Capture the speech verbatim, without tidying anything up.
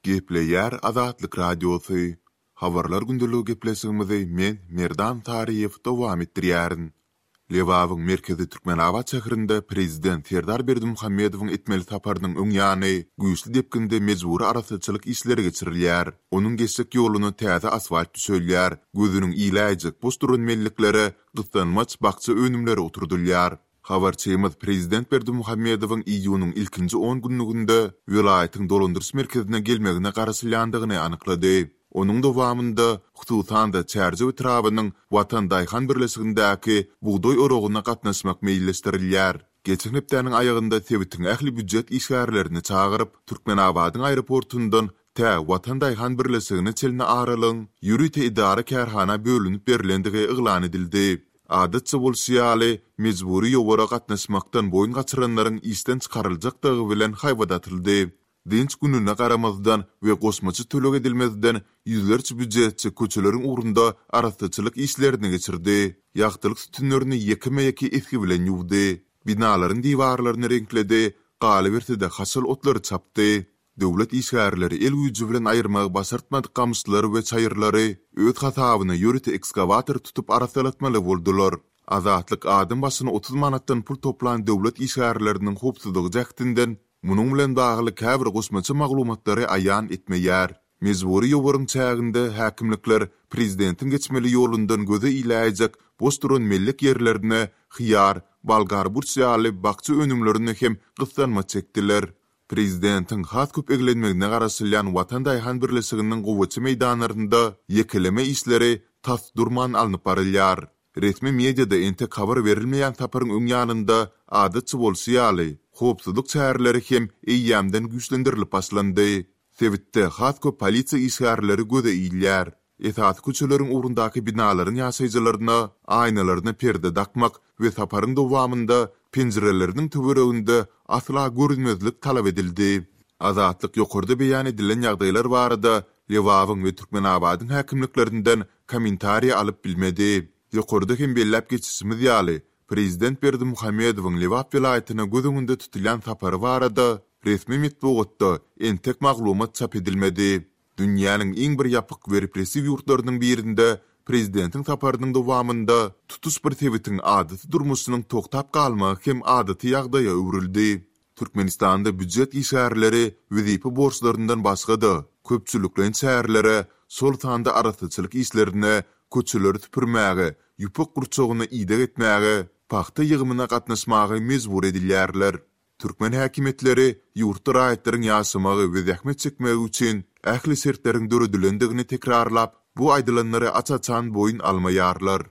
Gepleýär Azatlyk Radiosy. Habarlar gündeligi gepleşigimizi men Merdan Taryýew dowam etdirýärin. Lebabyň merkezi Türkmenabat şäherinde prezident Serdar Berdimuhamedowyň etmeli saparynyň öň ýany güýçli depginde mejbury arassaçylyk işleri geçirilýär. Onuň geçjek ýoluna täze asfalt düşelýär, gözüniň iläýjek boş duran melliklere gyssanmaç bakja önümleri oturdylýar. Habarçymyz prezident Berdimuhamedowyň iýunyň ilkinji on günlüginde welaýatyň dolandyryş merkezine gelmegine garaşylýandygyny anyklady. Onuň dowamynda, hususan-da Çärjew etrabynyň Watan daýhan birleşigindäki bugdaý oragyna gatnaşmak meýilleşdirilýär. Geçen hepdäniň aýagynda sebitiň ähli býujet işgärlerini çagyryp, Türkmenabadyň aeroportundan tä Watan daýhan birleşigine çenli aralygyň ýörite edara-kärhana bölünip berlendigi yglan edildi. Adatça bolşy ýaly, mejbury ýowara gatnaşmakdan boýun gaçyranlaryň işden çykaryljakdygy bilen haýbat atyldy. Dynç gününe garamazdan we goşmaça töleg edilmezden ýüzlerçe býujetçi köçeleriň ugrunda arassaçylyk işlerini geçirdi. Ýagtylyk sütünlerini ýekeme-ýeke esgi bilen ýuwdy. Binalaryň diwarlaryny reňkledi, galyberse-de haşal otlary çapdy. Döwlet işgärleri el güýji bilen aýyrmagy başartmadyk gamyşlary we çaýyrlary öz hasabyna ýörite ekskawator tutup arassalatmaly boldular. Azatlyk adam başyna otuz manatdan pul toplan döwlet işgärleriniň howpsuzlygy jähtinden munuň bilen bagly käbir goşmaça maglumatlary aýan etmeýär. Mejbury ýowaryň çäginde häkimlikler prezidentiň geçmeli ýolundan göze iläýjek boş duran mellek ýerlerine hyýar, bolgar burç ýaly bakja önümlerini hem gyssanmaç çekdiler. Prezidentiň has köp eglenmegine garaşylýan Watan daýhan birleşiginiň gowaça meýdanlarynda ýekeleme işleri tas durman alnyp barylýar. Resmi mediada entek habar berilmeýän saparyň öň ýanynda adatça bolşy ýaly, howpsuzlyk çäreleri hem eýýämden güýçlendirilip başlandy. Sebitde has köp polisiýa işgärleri göze ilýär. Esasy köçeleriň ugrundaky binalaryň ýaşaýjylaryna aýnalaryna perde dakmak we saparyň dowamynda penjireleriniň töwereginde asla görünmezlik talap edildi. Azatlyk ýokarda beýan edilen ýagdaýlar barada Lebabyň we Türkmenabadyň häkimliklerinden kommentariýa alyp bilmedi. Ýokarda hem belläp geçişimiz ýaly, prezident Berdimuhamedowyň Lebap welaýatyna göz öňünde tutulýan sapary barada resmi metbugatda entek maglumat çap edilmedi. Dünýäniň iň bir ýapyk we repressiw ýurtlarynyň birinde prezidentiň saparynyň dowamynda tutuş bir sebitiň adaty durmuşynyň toktap galmagy hem adaty ýagdaýa öwrüldi. Türkmenistanda býujet işgärleri wezipe borçlaryndan başga-da köpçülikleýin çärelere, şol sanda arassaçylyk işlerine, köçeleri süpürmäge, ýüpek gurçugyna ideg etmäge, pagta ýygymyna gatnaşmaga mejbur edilýärler. Türkmen häkimiýetleri ýurtda raýatlaryň ýaşamagy we zähmet çekmegi üçin ähli şertleriň döredilendigini tekrarlap, bu aýdylanlary aç-açan boýun almaýarlar.